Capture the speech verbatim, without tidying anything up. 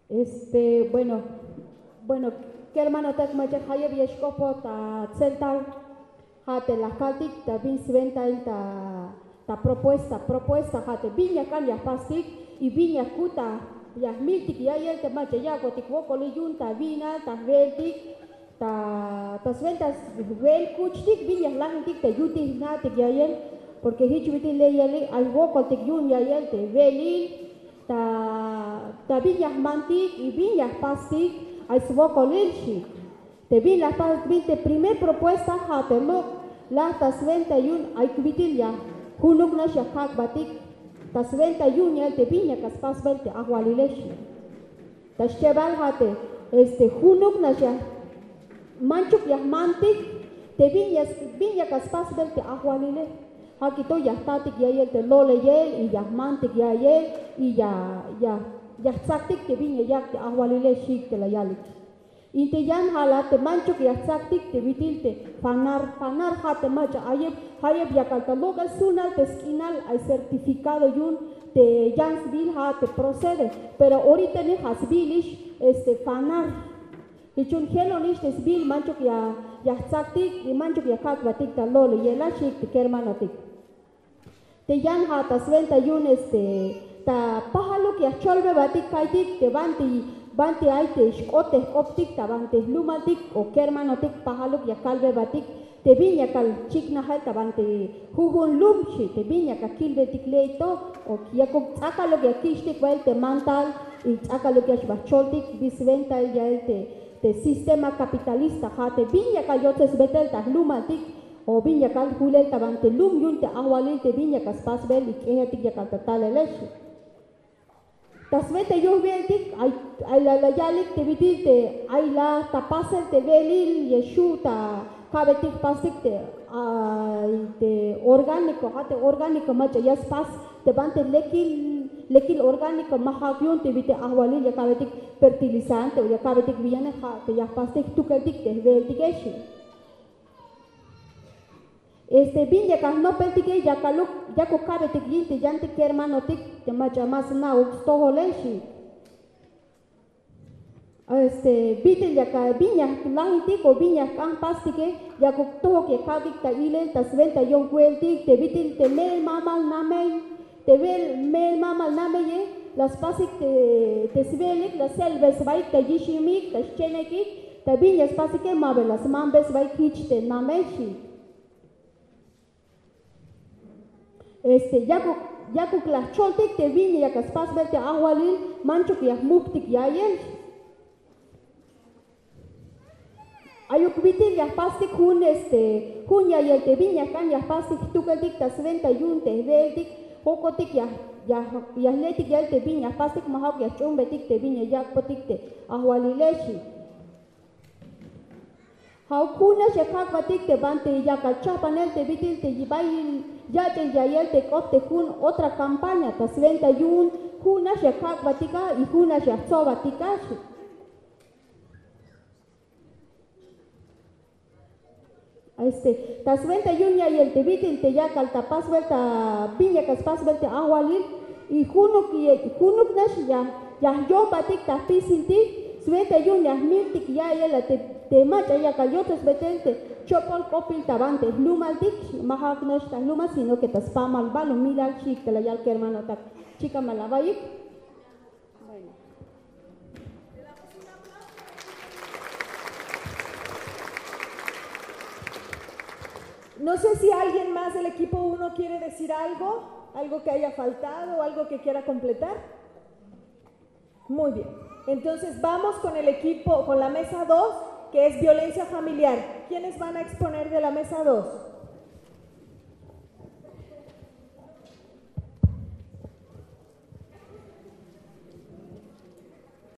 Este, bueno, bueno, kermanotak, mach'a jayeb ya xk'opoj ta tseltal. Ja' te la kaltik ta bin swentail ta, ta propuesta, propuesta ja' te bin ya k'an ya jpastik y bin ya jkut ta, ya jmiltik ya'yel te mach'a yak'botik wokolil yu'un ta wi'nal, ta jwe'eltik, ta, ta swenta jwe'el kuchtik bin ya jlajintik ta yutil jna'tik ya'yel, porque jich bit'il la yalik ay jwokoltik yu'un ya'yel te we'elil, ta, ta bin ya jmantik y bin ya jpastik ay swokolil xi. Te bin la jpastik, bin te primer propuesta ja' te lok' laj ta swenta yu'un ay bit'il ya junuknax ya kak'batik ta swenta yu'un ya'yel te bin ya k'ax spasbel te ajwalile xi. Ta schebal ja' te, este, junuknax ya, manchuk ya jmantik te bin ya, bin ya k'ax spasbel te ajwalile. Ja' kito ya jtatik ya'yel te lo'leyel y ya jmantik ya'yel y ya, ya, ya jtsaktik te bin ya yak' te ajwalile xi te la yalik. Y te yan ja' la te manchuk ya jtsaktik te bit'il te fanar, fanar ja' te mach'a ayeb, jayeb yakal ta lok'el sunal te sk'inal ay certificado yu'un te yan sbiil ja' te procede, pero orita ni ja' sbiilix, este, fanar. Jich yu'un jelonix te sbiil manchuk ya, ya jtsaktik y manchuk ya kak'batik ta lo'leyel a xi te kermanotik. Te yan ja' ta swenta yu'un, este, ta pajaluk ya jcholbebatik ka'iytik te banti, banti ay te xk'ot te jk'optik ta banti jlumaltik o kermanotik, pajaluk ya kalbebatik te bin ya kal chiknajel ta banti jujun lum xi, te bin ya kal kilbetik ley to, o yakuk ts'akaluk ya kich'tik bael te mantal y ts'akaluk ya xba jcholtik bin swentail ya'yel te, te sistema capitalista ja' te bin ya kal yotsesbetel ta jlumaltik o bin ya kal julel ta banti lum yu'un te ajwalil te bin ya kal spasbel y k'ejel tik ya kal ta talele xi. Ta swenta yu'un jwe'eltik ay, ay la, la yalik te bit'il te ay la ta pasel te we'elil ya xju' ta ka'betik jpastik te, ay te orgánico, ja' te orgánico mach'a ya spas te banti lekil, lekil orgánico, ma ja'uk yu'un te bit'il ajwalil ya ka'betik fertilizante o ya ka'betik biyane, ja' te ya jpastik jtukeltik te jwe'eltike xi. Este, bin ya kal jnopeltike, ya kaluk, yakuk ka'betik yin te yantik kermanotik te mach'a ma sna'uk stojole xi. Este, bit'il ya kal, bin ya jlajintik o bin ya jk'an jpastike, yakuk tojok ya ka'beyik ta ilel ta swenta yu'un jwe'eltik te bit'il te me'el mamal namey, te we'el me'el mamal nameye la spasik te, te swe'elik la selbe sbaik ta yiximik, ta xchenekik, ta bin ya spasike ma ba la smanbe sbaik jich te namey xi. Este, yakuk, yakuk la jcholtik te bin ya kal spasbel te ajwalil, manchuk ya jmuktik ya'yel. Ayuk bit'il ya jpastik jun, este, jun ya'yel te bin ya jk'an ya jpastik jtukeltik ta swenta yu'un te jwe'eltik, jokotik ya, ya, ya jletik ya'yel te bin ya jpastik, ma ja'uk ya jch'uunbetik te bin ya yak'botik te ajwalile xi. Ja'uk junax ya kak'batik te banti ya kal chajpanel te bit'il te bay yach'il ya'yel te k'ot te jun otra campaña ta swenta yu'un, junax ya kak'batik a y junax ya jtsobatik a xi. Este, ta swenta yu'un ya'yel te bit'il te ya kal ta pasbel ta bin ya kal spasbel te ajwalil, y junuk, junuknax ya, ya jyojbatik ta jpisiltik swenta yu'un ya jmiltik ya'yel a te, te mach'a ya kal yotsesbetel te chopol k'opil ta banti jlumaltik, ma ja'uk nax ta jlumal sino que ta spamal balumilal xi te la yal kermanotak. Chikan ma la awaiyik. Bueno. No sé si alguien más del equipo uno quiere decir algo, algo que haya faltado, algo que quiera completar. Muy bien. Entonces vamos con el equipo, con la mesa dos, que es violencia familiar. ¿Quiénes van a exponer de la mesa dos?